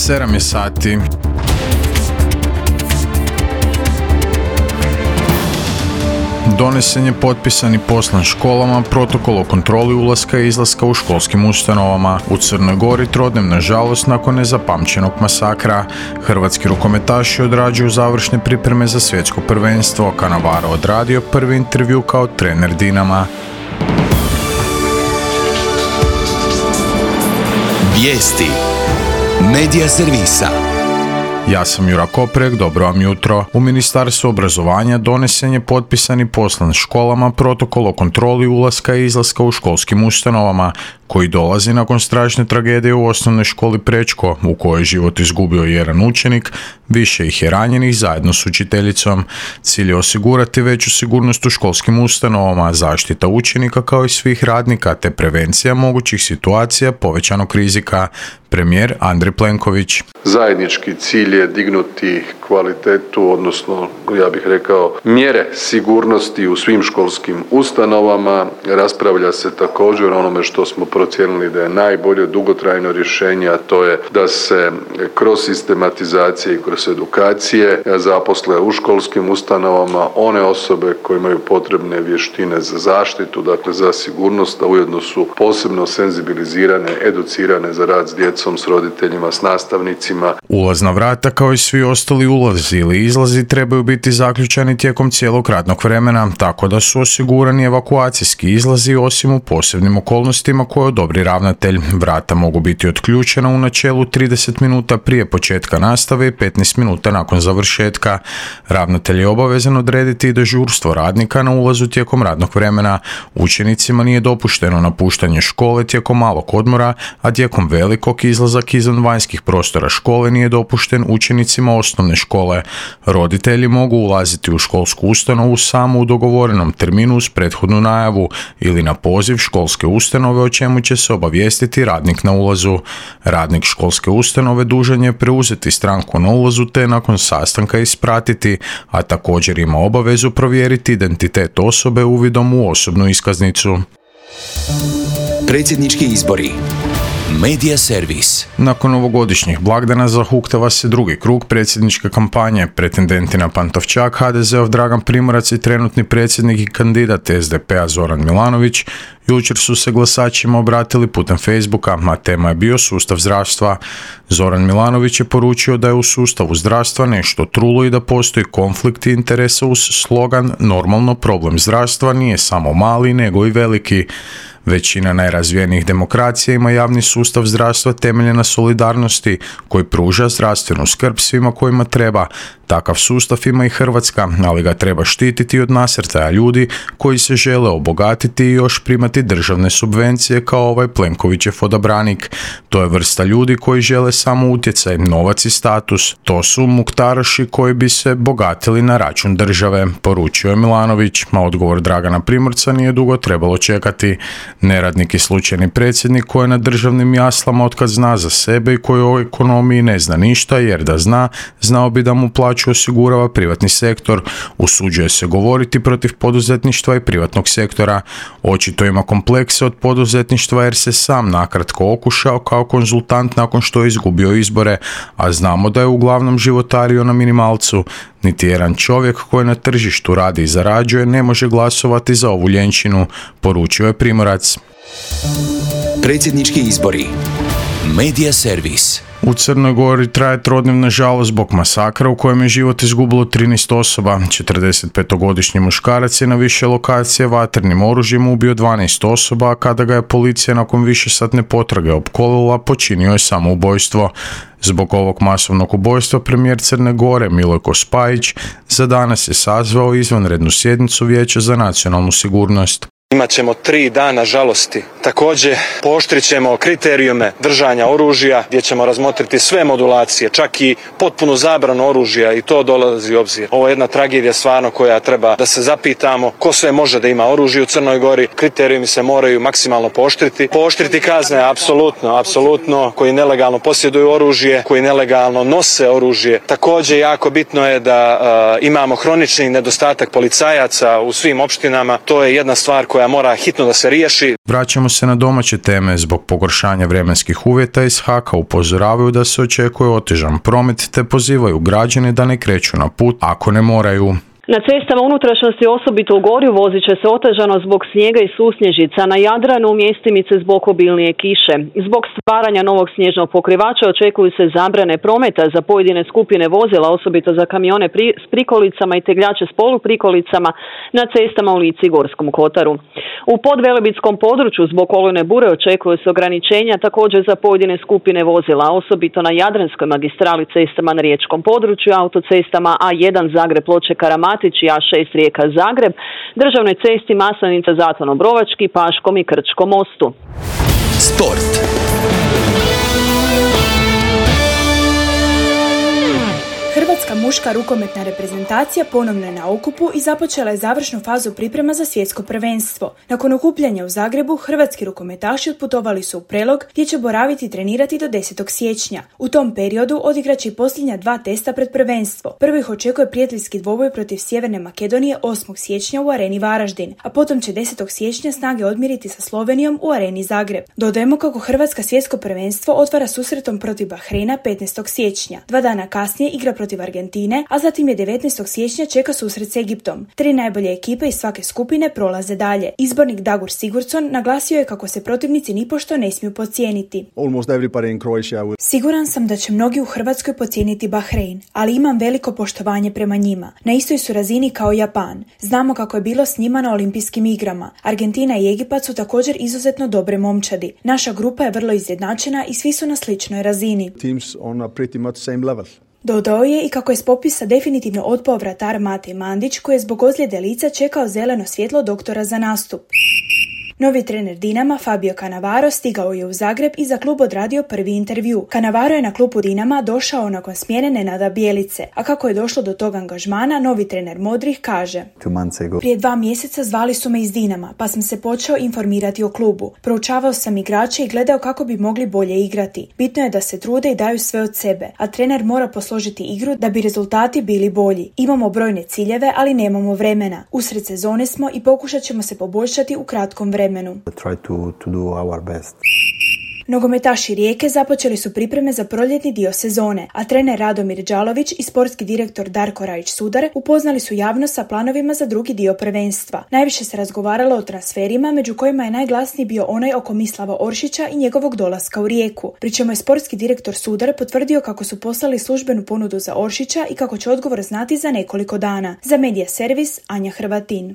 7 je sati. Donesen je potpisan i poslan školama protokol o kontroli ulaska i izlaska u školskim ustanovama. U Crnoj Gori trodnevna žalost nakon nezapamćenog masakra. Hrvatski rukometaši odrađuju završne pripreme za svjetsko prvenstvo. Cannavaro odradio prvi intervju kao trener Dinama. Vijesti Medija servisa. Ja sam Jura Koprek, dobro vam jutro. U Ministarstvu obrazovanja donesen je potpisan i poslan školama protokol o kontroli ulaska i izlaska u školskim ustanovama, koji dolazi nakon strašne tragedije u osnovnoj školi Prečko, u kojoj je život izgubio jedan učenik, više ih je ranjenih zajedno s učiteljicom. Cilj je osigurati veću sigurnost u školskim ustanovama, zaštita učenika kao i svih radnika, te prevencija mogućih situacija povećanog rizika. Premijer Andrej Plenković. Zajednički cilj je dignuti kvalitetu, odnosno ja bih rekao mjere sigurnosti u svim školskim ustanovama. Raspravlja se također o onome što smo procijenili da je najbolje dugotrajno rješenje, a to je da se kroz sistematizacije i kroz edukacije zaposle u školskim ustanovama one osobe koje imaju potrebne vještine za zaštitu, dakle za sigurnost, a ujedno su posebno senzibilizirane, educirane za rad s djecom, s roditeljima, s nastavnicima. Ulazna vrata kao i svi ostali ulazi ili izlazi trebaju biti zaključani tijekom cijelog radnog vremena, tako da su osigurani evakuacijski izlazi osim u posebnim okolnostima koje odobri ravnatelj. Vrata mogu biti otključena u načelu 30 minuta prije početka nastave i 15 minuta nakon završetka. Ravnatelj je obavezan odrediti i dežurstvo radnika na ulazu tijekom radnog vremena. Učenicima nije dopušteno napuštanje škole tijekom malog odmora, a tijekom velikog izlazak izvan vanjskih prostora škole nije dopušten učenicima osnovne škole. Roditelji mogu ulaziti u školsku ustanovu samo u dogovorenom terminu uz prethodnu najavu ili na poziv školske ustanove, o čemu će se obavijestiti radnik na ulazu. Radnik školske ustanove dužan je preuzeti stranku na ulazu te nakon sastanka ispratiti, a također ima obavezu provjeriti identitet osobe uvidom u osobnu iskaznicu. Predsjednički izbori. Medija servis. Nakon ovogodišnjih blagdana zahuktava se drugi krug predsjedničke kampanje. Pretendenti na Pantovčak, HDZ-ov Dragan Primorac i trenutni predsjednik i kandidat SDP-a Zoran Milanović jučer su se glasačima obratili putem Facebooka, a tema je bio sustav zdravstva. Zoran Milanović je poručio da je u sustavu zdravstva nešto trulo i da postoji konflikt interesa uz slogan "Normalno, problem zdravstva nije samo mali nego i veliki". Većina najrazvijenijih demokracija ima javni sustav zdravstva temeljen na solidarnosti koji pruža zdravstvenu skrb svima kojima treba. Takav sustav ima i Hrvatska, ali ga treba štititi od nasrtaja ljudi koji se žele obogatiti i još primati državne subvencije kao ovaj Plenkovićev odabranik. To je vrsta ljudi koji žele samo utjecaj, novac i status. To su muktaroši koji bi se bogatili na račun države, poručio je Milanović, a odgovor Dragana Primorca nije dugo trebalo čekati. Neradnik i slučajni predsjednik koji je na državnim jaslama otkad zna za sebe i koji o ekonomiji ne zna ništa, jer da zna, znao bi da mu plaću osigurava privatni sektor. Usuđuje se govoriti protiv poduzetništva i privatnog sektora. Očito ima komplekse od poduzetništva jer se sam nakratko okušao kao konzultant nakon što je izgubio izbore, a znamo da je uglavnom životario na minimalcu. Niti jedan čovjek koji na tržištu radi i zarađuje ne može glasovati za ovu ljenčinu, poručio je Primorac. Predsjednički izbori. Medija servis. U Crnoj Gori traje trodnevna žalost zbog masakra u kojem je život izgubilo 13 osoba. 45-godišnji muškarac je na više lokacije vatrenim oružjem ubio 12 osoba, a kada ga je policija nakon višesatne potrage opkolila, počinio je samoubojstvo. Zbog ovog masovnog ubojstva premijer Crne Gore Milojko Spajić za danas je sazvao izvanrednu sjednicu Vijeća za nacionalnu sigurnost. Imat ćemo 3 dana žalosti. Također pooštrit ćemo kriterijume držanja oružja gdje ćemo razmotriti sve modulacije, čak i potpunu zabranu oružja, i to dolazi u obzir. Ovo je jedna tragedija stvarno koja treba da se zapitamo ko sve može da ima oružje u Crnoj Gori. Kriterijumi se moraju maksimalno pooštriti. Pooštriti kazne, apsolutno, koji nelegalno posjeduju oružje, koji nelegalno nose oružje. Također jako bitno je da imamo hronični nedostatak policajaca u svim opštinama. To je jedna stvar koja mora hitno da se riješi. Vraćamo se na domaće teme. Zbog pogoršanja vremenskih uvjeta iz HAK-a upozoravaju da se očekuje otežan promet te pozivaju građane da ne kreću na put ako ne moraju. Na cestama unutrašnjosti, osobito u Gorju, vozit će se otežano zbog snijega i susnježica, na Jadranu mjestimice zbog obilnije kiše. Zbog stvaranja novog snježnog pokrivača očekuju se zabrane prometa za pojedine skupine vozila, osobito za kamione s prikolicama i tegljače s poluprikolicama na cestama u Lici i Gorskom kotaru. U podvelebitskom području zbog olujne bure očekuju se ograničenja također za pojedine skupine vozila, osobito na Jadranskoj magistrali, cestama na riječkom području, autocestama A1 Zagreb-Ploče-Karamatić i A6 Rijeka-Zagreb, državnoj cesti Maslenica-Zaton-Obrovački, Paškom i Krčkom mostu. Sport. Hrvatska muška rukometna reprezentacija ponovno je na okupu i započela je završnu fazu priprema za svjetsko prvenstvo. Nakon okupljanja u Zagrebu, hrvatski rukometaši otputovali su u Prelog gdje će boraviti i trenirati do 10. siječnja. U tom periodu odigraće i posljednja 2 testa pred prvenstvo. Prvi ih očekuje prijateljski dvoboj protiv Sjeverne Makedonije 8. siječnja u areni Varaždin, a potom će 10. siječnja snage odmiriti sa Slovenijom u areni Zagreb. Dodajemo kako Hrvatska svjetsko prvenstvo otvara susretom protiv Bahreina 15. siječnja. 2 dana kasnije igra protiv Argentine, a zatim je 19. siječnja čeka susret s Egiptom. 3 najbolje ekipe iz svake skupine prolaze dalje. Izbornik Dagur Sigurdsson naglasio je kako se protivnici nipošto ne smiju podcijeniti. Siguran sam da će mnogi u Hrvatskoj podcijeniti Bahrein, ali imam veliko poštovanje prema njima. Na istoj su razini kao Japan. Znamo kako je bilo s njima na olimpijskim igrama. Argentina i Egipat su također izuzetno dobre momčadi. Naša grupa je vrlo izjednačena i svi su na sličnoj razini. Dodao je i kako je s popisa definitivno otpao vratar Matej Mandić, koji je zbog ozljede lica čekao zeleno svjetlo doktora za nastup. Novi trener Dinama, Fabio Cannavaro, stigao je u Zagreb i za klub odradio prvi intervju. Cannavaro je na klubu Dinama došao nakon smjene Nenada Bjelice, a kako je došlo do tog angažmana, novi trener Modrih kaže: Prije 2 mjeseca zvali su me iz Dinama, pa sam se počeo informirati o klubu. Proučavao sam igrače i gledao kako bi mogli bolje igrati. Bitno je da se trude i daju sve od sebe, a trener mora posložiti igru da bi rezultati bili bolji. Imamo brojne ciljeve, ali nemamo vremena. Usred sezone smo i pokušat ćemo se poboljšati u kratkom vremenu. Nogometaši Rijeke započeli su pripreme za proljetni dio sezone, a trener Radomir Đalović i sportski direktor Darko Rajić-Sudar upoznali su javnost sa planovima za drugi dio prvenstva. Najviše se razgovaralo o transferima, među kojima je najglasniji bio onaj oko Mislava Oršića i njegovog dolaska u Rijeku. Pri čemu je sportski direktor Sudar potvrdio kako su poslali službenu ponudu za Oršića i kako će odgovor znati za nekoliko dana. Za Medija Servis, Anja Hrvatin.